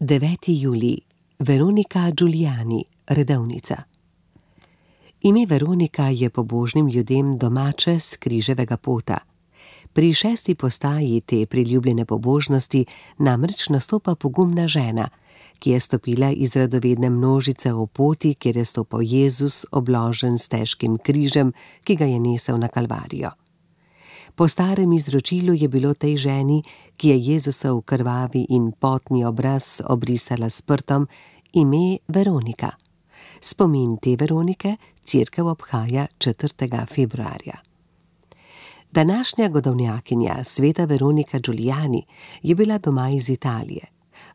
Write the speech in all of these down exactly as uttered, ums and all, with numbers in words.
deveti julij. Veronika Giuliani, redovnica. Ime Veronika je pobožnim ljudem domače s križevega pota. Pri šesti postaji te priljubljene pobožnosti namreč nastopa pogumna žena, ki je stopila iz radovedne množice v poti, kjer je stopal Jezus, obložen s težkim križem, ki ga je nesel na Kalvarijo. Po starem izročilu je bilo tej ženi, ki je Jezusov krvavi in potni obraz obrisala s prtom, ime Veronika. Spomin te Veronike cerkev obhaja četrtega februarja. Današnja godovnjakinja, sveta Veronika Giuliani, je bila doma iz Italije.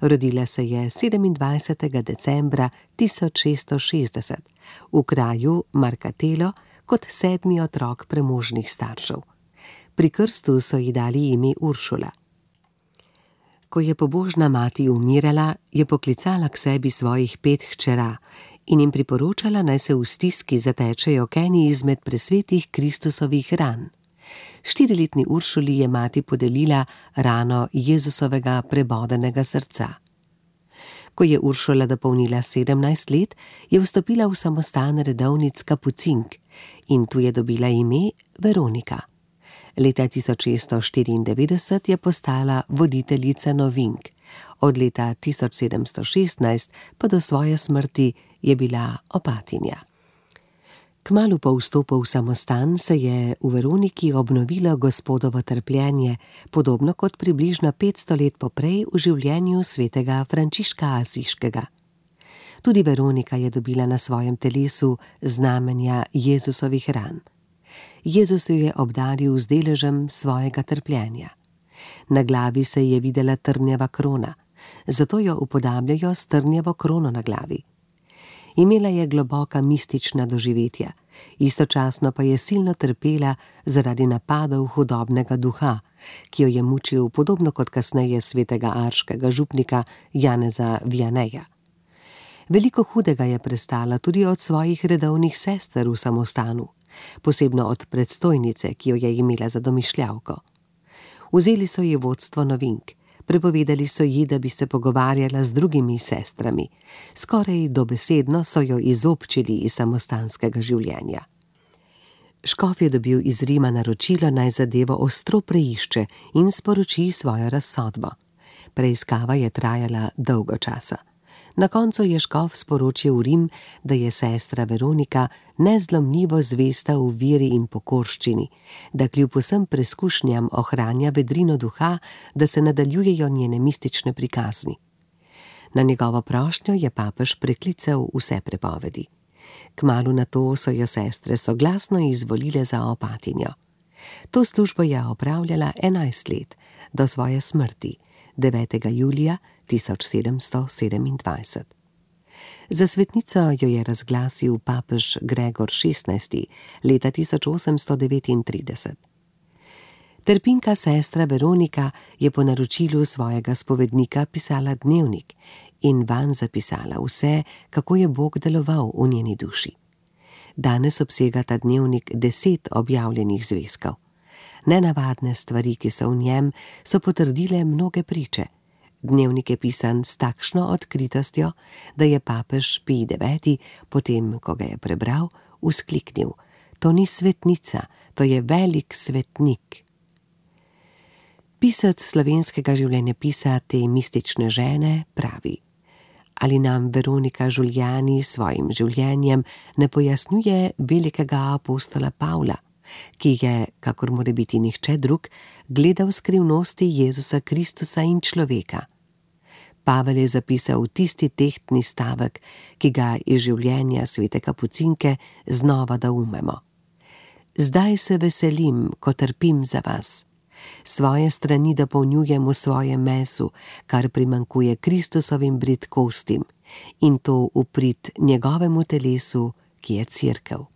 Rodila se je sedemindvajsetega decembra tisoč šeststo šestdeset v kraju Marcatello kot sedmi otrok premožnih staršev. Pri krstu so ji dali ime Uršula. Ko je pobožna mati umirala, je poklicala k sebi svojih pet hčera in jim priporočala, naj se v stiski zatečejo k eni izmed presvetih Kristusovih ran. Štiriletni Uršuli je mati podelila rano Jezusovega prebodenega srca. Ko je Uršula dopolnila sedemnajst let, je vstopila v samostan redovnic kapucink in tu je dobila ime Veronika. Leta tisoč šeststo štiriindevetdeset je postala voditeljica novink. Od leta tisoč sedemsto šestnajst pa do svoje smrti je bila opatinja. Kmalu po vstopu v samostan se je v Veroniki obnovilo Gospodovo trpljenje, podobno kot približno petsto let poprej v življenju svetega Frančiška Asiškega. Tudi Veronika je dobila na svojem telesu znamenja Jezusovih ran. Jezus jo je obdaril z deležem svojega trpljenja. Na glavi se je videla trnjeva krona, zato jo upodabljajo s trnjevo krono na glavi. Imela je globoka mistična doživetja, istočasno pa je silno trpela zaradi napadov hudobnega duha, ki jo je mučil podobno kot kasneje svetega arškega župnika Janeza Vianeja. Veliko hudega je prestala tudi od svojih redovnih sester v samostanu, posebno od predstojnice, ki jo je imela za domišljavko. Vzeli so ji vodstvo novink, prepovedali so ji, da bi se pogovarjala z drugimi sestrami. Skoraj dobesedno so jo izobčili iz samostanskega življenja. Škof je dobil iz Rima naročilo, naj zadevo ostro preišče in sporoči svojo razsodbo. Preiskava je trajala dolgo časa. Na koncu je škof sporočil v Rim, da je sestra Veronika nezlomljivo zvesta v veri in pokorščini, da kljub vsem preskušnjam ohranja vedrino duha, da se nadaljujejo njene mistične prikazni. Na njegovo prošnjo je papež preklical vse prepovedi. Kmalu nato so jo sestre soglasno izvolile za opatinjo. To službo je opravljala enajst let, do svoje smrti, devetega julija tisoč sedemsto sedemindvajset. Za svetnico jo je razglasil papež Gregor šestnajsti leta tisoč osemsto devetintrideset. Trpinka sestra Veronika je po naročilu svojega spovednika pisala dnevnik in vanj zapisala vse, kako je Bog deloval v njeni duši. Danes obsega ta dnevnik deset objavljenih zvezkov. Nenavadne stvari, ki so v njem, so potrdile mnoge priče. Dnevnik je pisan s takšno odkritostjo, da je papež Pij deveti, potem ko ga je prebral, vzkliknil: to ni svetnica, to je velik svetnik. Pisec slovenskega življenjepisa te mistične žene pravi: ali nam Veronika Giuliani s svojim življenjem ne pojasnjuje velikega apostola Pavla, ki je, kakor more biti nihče drug, gledal skrivnosti Jezusa Kristusa in človeka. Pavel je zapisal tisti tehtni stavek, ki ga iz življenja svete kapucinke znova doumemo. Zdaj se veselim, ko trpim za vas. Svoje strani dopolnjujem v svojem mesu, kar primanjkuje Kristusovim bridkostim, in to v prid njegovemu telesu, ki je cerkev.